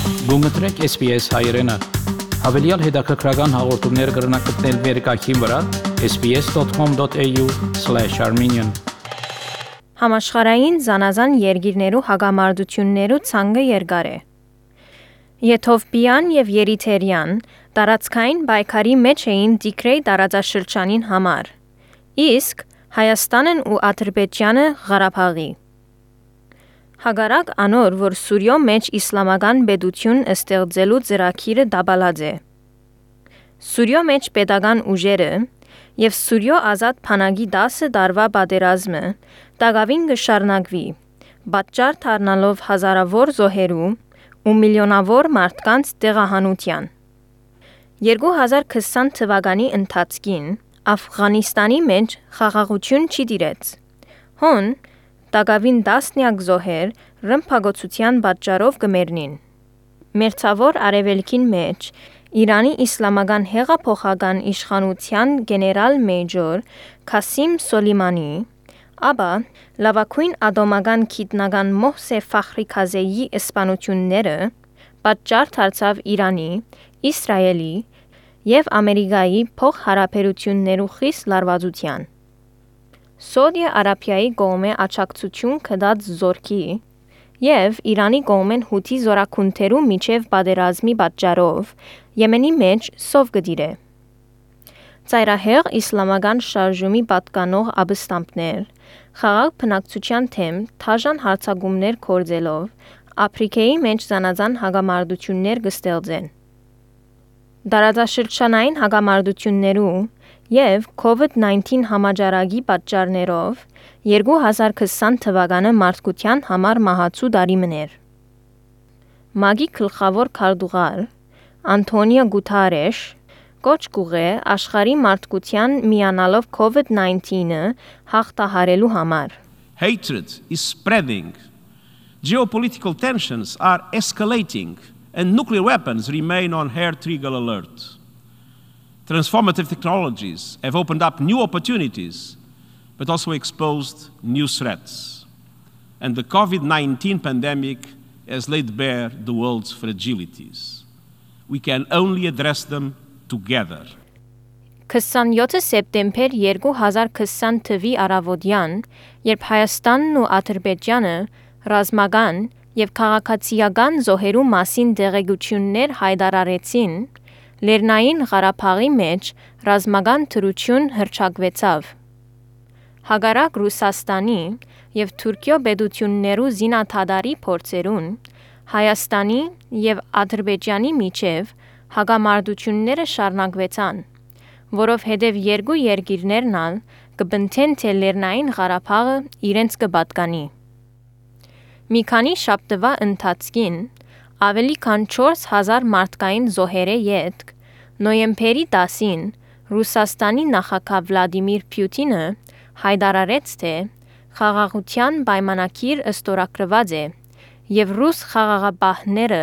Գումտրեք SPS հայրենը, հավելյալ հետաքրքրական հաղորդումներ կգրնակցնել վերկայքին վրա sbs.com.au/armenian Համաշխարհային զանազան երկիրներու հագամարտություններու ցանկը երկար է։ Եթովպիան եւ Երիթերիան տարածքային պայքարի մեջ էին Տիգրեյ տարածաշրջանին համար, իսկ Հայաստանն ու Ադրբեջանը Ղարաբաղի։ Հակառակ անոր, որ Սուրիո մեջ իսլամական պետություն ստեղծելու ծրագիրը դաբալած է։ Սուրիո մեջ պետական ուժերը եւ Սուրիո ազատ բանակի 10 տարվա պատերազմը դակավին կշարունակվի, պատճառ դառնալով հազարավոր զոհերու ու միլիոնավոր մարդկանց տեղահանության։ 2020 թվականի ընթացքին Աֆղանիստանի մեջ խաղաղություն չի տիրեց։ Հոն դակավին տասնյակ զոհեր ռմբակոծության պատճառով կմեռնին։ Մերձավոր արևելքին մեջ Իրանի իսլամական հեղափոխական իշխանության գեներալ-մեյջոր Քասիմ Սոլեյմանի, ապա լավագույն ատոմական գիտնական Մոհսե Ֆախրիքազեյի սպանությունները պատճառ դարձավ Իրանի, Իսրայելի եւ Ամերիկայի փոխհարաբերություններու խիստ լարվածության։ Սաուդիա Արաբիայի կողմէ աջակցություն կդած զորքի եւ Իրանի կողմեն հութի զորակուններու միջև պատերազմի պատճառով Եմենի մեջ սով կդիրե։ Ծայրահեղ իսլամական շարժումի պատկանող ապստամբներ խաղաղ բնակչության թեմ թաժան հարձակումներ կործելով Աֆրիկայի մեջ զանազան հագամարտություններ կստեղծեն։ Տարածաշրջանային հագամարտություններու եւ COVID-19 համաճարակի պատճառներով 2020 թվականը մարդկության համար մահացու տարի մներ։ ՄԱԳ-ի գլխավոր քարտուղար Անտոնիո Գուտարեշ կոչ կուղե աշխարհի մարդկության միանալով COVID-19-ը հաղթահարելու համար։ Hatred is spreading. Geopolitical tensions are escalating and nuclear weapons remain on hair-trigger alert. Transformative technologies have opened up new opportunities but also exposed new threats. And the COVID-19 pandemic has laid bare the world's fragilities. We can only address them together. 27 սեպտեմբեր 2020 թվի առավոտյան, երբ Հայաստանն ու Ադրբեջանը ռազմական եւ քաղաքացիական զոհերու մասին տեղեկություններ հայտարարեցին, Լեռնային Ղարաբաղի մեջ ռազմական դրություն հռչակվեցավ։ Հակառակ Ռուսաստանի եւ Թուրքիո պետություններու զինադադարի փորձերուն, Հայաստանի եւ Ադրբեջանի միջև հակամարտությունները շարունակվեցան, որովհետև երկու երկիրներն ալ կբնթեն թե Լեռնային Ղարաբաղը իրենց կպատկանի։ Մի քանի շաբթվա ընթացքին ավելի քան 4000 մարդկային զոհերի ետք նոյեմբերի 10-ին Ռուսաստանի նախագահ Վլադիմիր Պուտինը հայտարարեց, թե խաղաղության պայմանագիր ստորագրված է եւ ռուս խաղաղապահները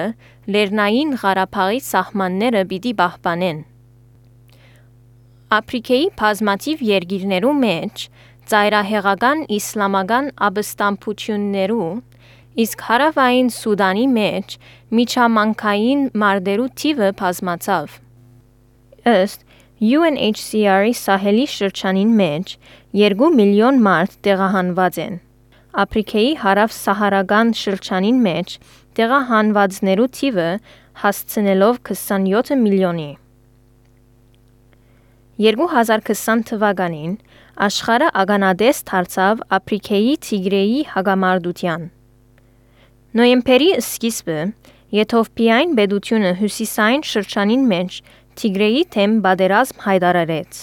Լեռնային Ղարաբաղի սահմանները պիտի պահպանեն։ Աֆրիկայի բազմաթիվ երկիրներու մեջ ծայրահեղական իսլամական ապստամբություններու, իսկ հարավային Սուդանի մեջ միջամանկային մարտերու թիվը բազմացավ։ Ըստ UNHCR-ի Սահելի շրջանին մեջ 2 միլիոն մարդ տեղահանված են։ Աֆրիկայի հարավ-սահարական շրջանին մեջ տեղահանվածներու թիվը հասցնելով 27 միլիոնի։ 2020 թվականին աշխարհը ականատես դարձավ Աֆրիկայի Տիգրեյի հագամարտության։ Նոյեմբերի սկիզբը Եթովպիային պետությունը հյուսիսային շրջանին մեջ Տիգրեյի թեմ պատերազմ հայտարարեց։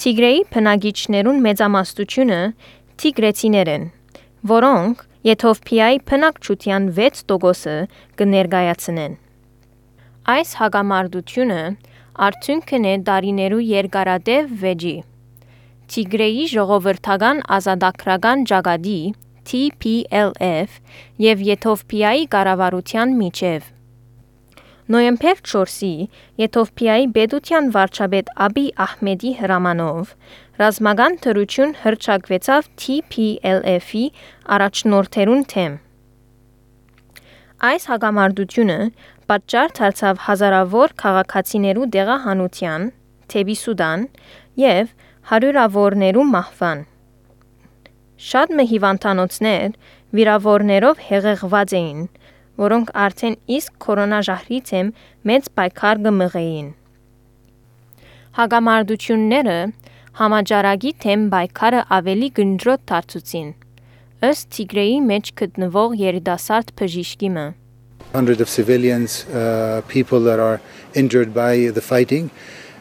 Տիգրեյի բնակիչներուն մեծամասնությունը տիգրեցիներ են, որոնք Եթովպիայի բնակչության 6%-ը կներկայացնեն։ Այս հագամարտությունը արդյունքն է տարիներու երկարատև վեճի։ Տիգրեյի ժողովրդական ազատագրական ճակատի TPLF եւ Եթովպիայի կառավարության միջև։ Նոյեմբեր 4-ի Եթովպիայի պետության վարչապետ Աբի Ահմեդի հրամանով ռազմական դրություն հռչակվեցավ TPLF-ի առաջնորդերուն թեմ։ Այս հագամարտությունը պատճառ դարձավ հազարավոր քաղաքացիներու դեղահանության, թեբի Սուդան եւ հարյուրավորներու մահվան։ Շատ հիվանդանոցներ վիրավորներով հեղեղված էին, որոնք արդեն իսկ կորոնաժահրից եմ մեծ պայքար կմղեին։ Հագամարտությունները համաճարակի թեմ պայքարը ավելի գնդրոտ դարձուցին, ըստ Թիգրեի մեջ գտնվող երիտասարդ բժիշկի մը։ Hundreds of civilians, people that are injured by the fighting,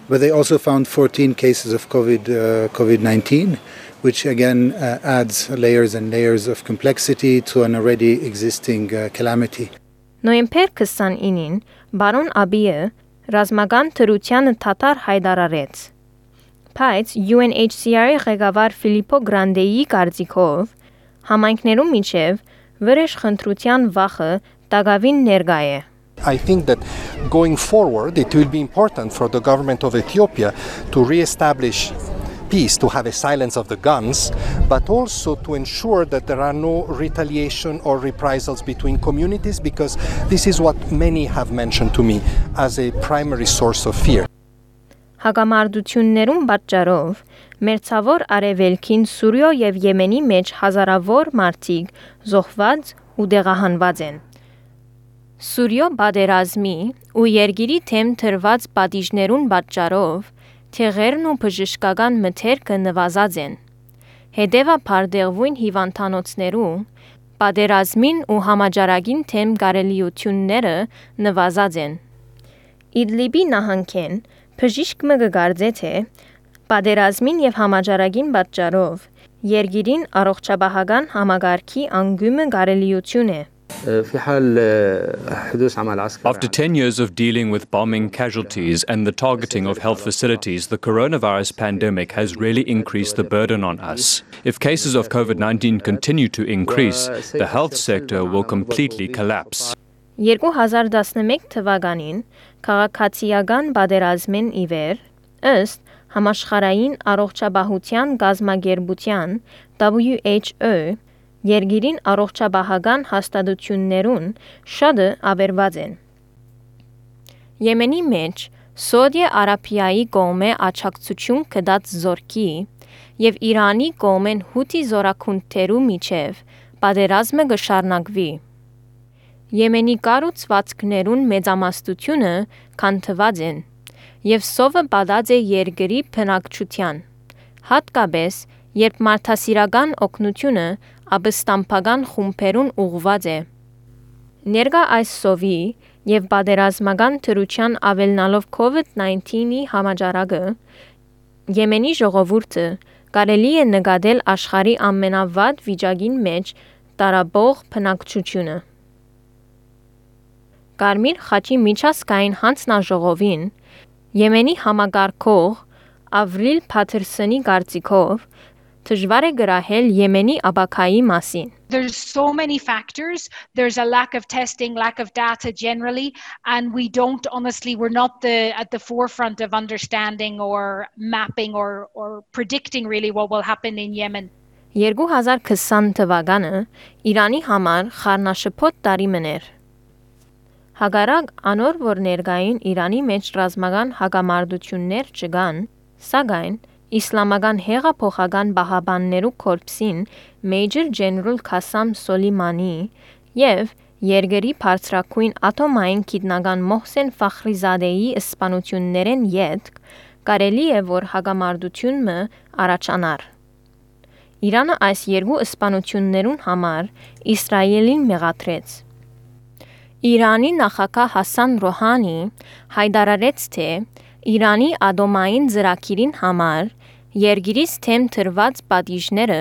but they also found 14 cases of COVID-19, which again adds layers and layers of complexity to an already existing calamity. Նոյեմբեր 29-ին բարոն Աբիը ռազմական թրությանը թաթար հայտարարեց։ Բայց UNHCR-ի ղեկավար Ֆիլիպո Գրանդեի կարծիքով համայնքներու միջև վրեժ խնդրության վախը տագավին ներկա է։ I think that going forward, it will be important for the government of Ethiopia to re-establish peace, to have a silence of the guns, but also to ensure that there are no retaliation or reprisals between communities, because this is what many have mentioned to me as a primary source of fear. Հագամարտություններուն պատճառով մերձավոր արևելքին Սուրիա եւ Եմենի մեջ հազարավոր մարդիկ զոհված ու դեղահանված են։ Սուրիա պատերազմի ու երգիրի թեմ թրված պատիժներուն պատճառով թեղերն ու բժշկական մթերքը նվազած են։ Հետևաբար դեղվույն հիվանդանոցներու պատերազմին ու համաճարակին թեմ կարելիությունները նվազած են։ Իդլիբի նահանգեն բժիշկ մը կգարձե թե պատերազմին եւ համաճարակին պատճառով երգիրին առողջապահական համագարքի անգյումը կարելիություն է։ After 10 years of dealing with bombing casualties and the targeting of health facilities, the coronavirus pandemic has really increased the burden on us. If cases of COVID-19 continue to increase, the health sector will completely collapse. 2011 թվականին քաղաքացիական պատերազմեն իվեր ըստ համաշխարհային առողջապահության գազագերբության WHO երգիրին առողջապահական հաստատություններուն շատը ավերված են։ Եմենի մեջ Սոդիա Արաբիայի կողմէ աջակցություն կդած զորքի եւ Իրանի կողմեն հութի զորակունթերու միջև պատերազմը կշարունակվի։ Եմենի կառուցվածքներուն մեծամասնությունը քանթված են եւ սովը պատած է երկրի բնակչության, հատկապես երբ մարդասիրական օգնությունը ապստամբական խումբերուն ուղղված է։ Ներկա այս սովի եւ պատերազմական թրության ավելնալով COVID-19-ի համաճարակը Եմենի ժողովուրդը կարելի է նկատել աշխարհի ամենավատ վիճակին մեջ տարաբող բնակչությունը։ Կարմիր խաչի միջազգային հանձնաժողովին Եմենի համագարկող Ավրիլ Փաթերսոնի կարծիքով դժվար է գրահել Եմենի ապակայի մասին։ There's so many factors. There's a lack of testing, lack of data generally, and we're not at the forefront of understanding or mapping or predicting really what will happen in Yemen. 2020 թվականը Իրանի համար խառնաշփոթ տարի էր։ Հակառակ անոր որ ներկային Իրանի մեջ ռազմական հակամարտություններ չկան, սակայն Իսլամական հեղափոխական բահաբաններու կորպսին Major General Qasem Soleimani եւ երկրի բարձրակույն ատոմային գիտնական Մոհսեն Ֆախրիզադեի սպանություններեն յետք կարելի է որ հակամարտությունը առաջանար։ Իրանը այս երկու սպանություններուն համար Իսրայելին մեղադրեց։ Իրանի նախագահ Հասան Ռոհանի հայտարարեց թե Իրանի ատոմային ծրագիրին համար Երգիրից թեմ թրված պատիժները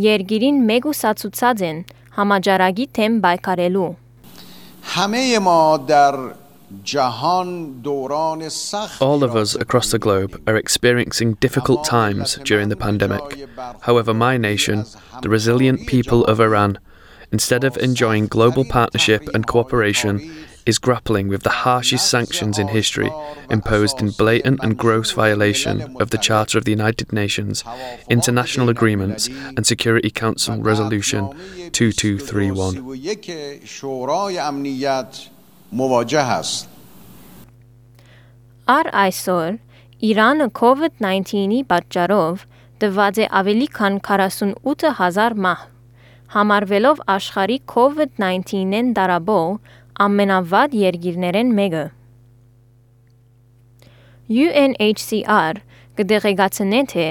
երգիրին մեգուսացուցած են համաճարակի թեմ պայքարելու։ All of us across the globe are experiencing difficult times during the pandemic. However, my nation, the resilient people of Iran, instead of enjoying global partnership and cooperation, is grappling with the harshest sanctions in history, imposed in blatant and gross violation of the Charter of the United Nations, international agreements, and Security Council Resolution 2231. Առ այսօր Իրանը COVID-19-ի պատճառով տված է ավելի քան 48,000 մահ, համարվելով աշխարհի COVID-19-ին դարաբող ամենավատ երկիրներեն մեկը։ UNHCR կդեղեկացնե թե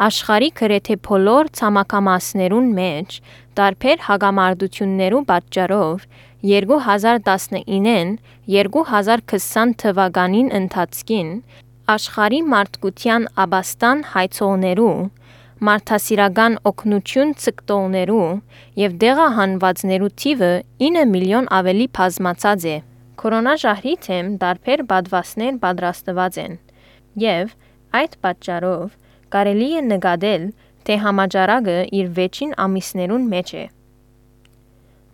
աշխարհի գրեթե բոլոր ցամաքամասներուն մեջ տարբեր հագամարտություններու պատճառով 2019-ին 2020 թվականին ընթացքին աշխարհի մարդկության աբաստան հայցողներու, մարդասիրական օգնություն ցկտողներու եւ դեղահանվածներու թիվը 9 միլիոն ավելի բազմացած է։ Կորոնաժահրի թեմ տարբեր պատվաստներ պատրաստված են եւ այդ պատճառով կարելի է նկատել, թե համաճարակը իր վերջին ամիսներուն մեջ է։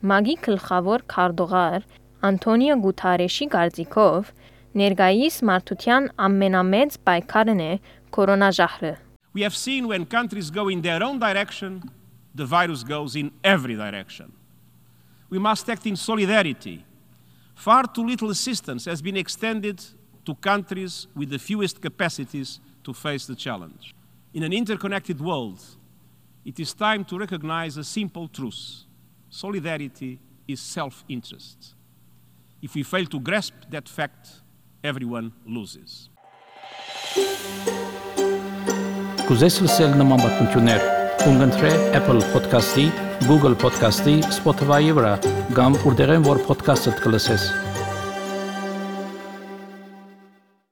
ՄԱԳ-ի գլխավոր քարտուղար Անտոնիո Գուտարեշի կարծիքով ներկայիս մարդության ամենամեծ պայքարն է կորոնաժահրը։ We have seen when countries go in their own direction, the virus goes in every direction. We must act in solidarity. Far too little assistance has been extended to countries with the fewest capacities to face the challenge. In an interconnected world, it is time to recognize a simple truth. Solidarity is self-interest. If we fail to grasp that fact, everyone loses. Կուզես լսել նման բանություններ, կընտրե Apple Podcast-ի, Google Podcast-ի, Spotify-ի վրա, կամ որտեղեն որ podcast-ը կլսես։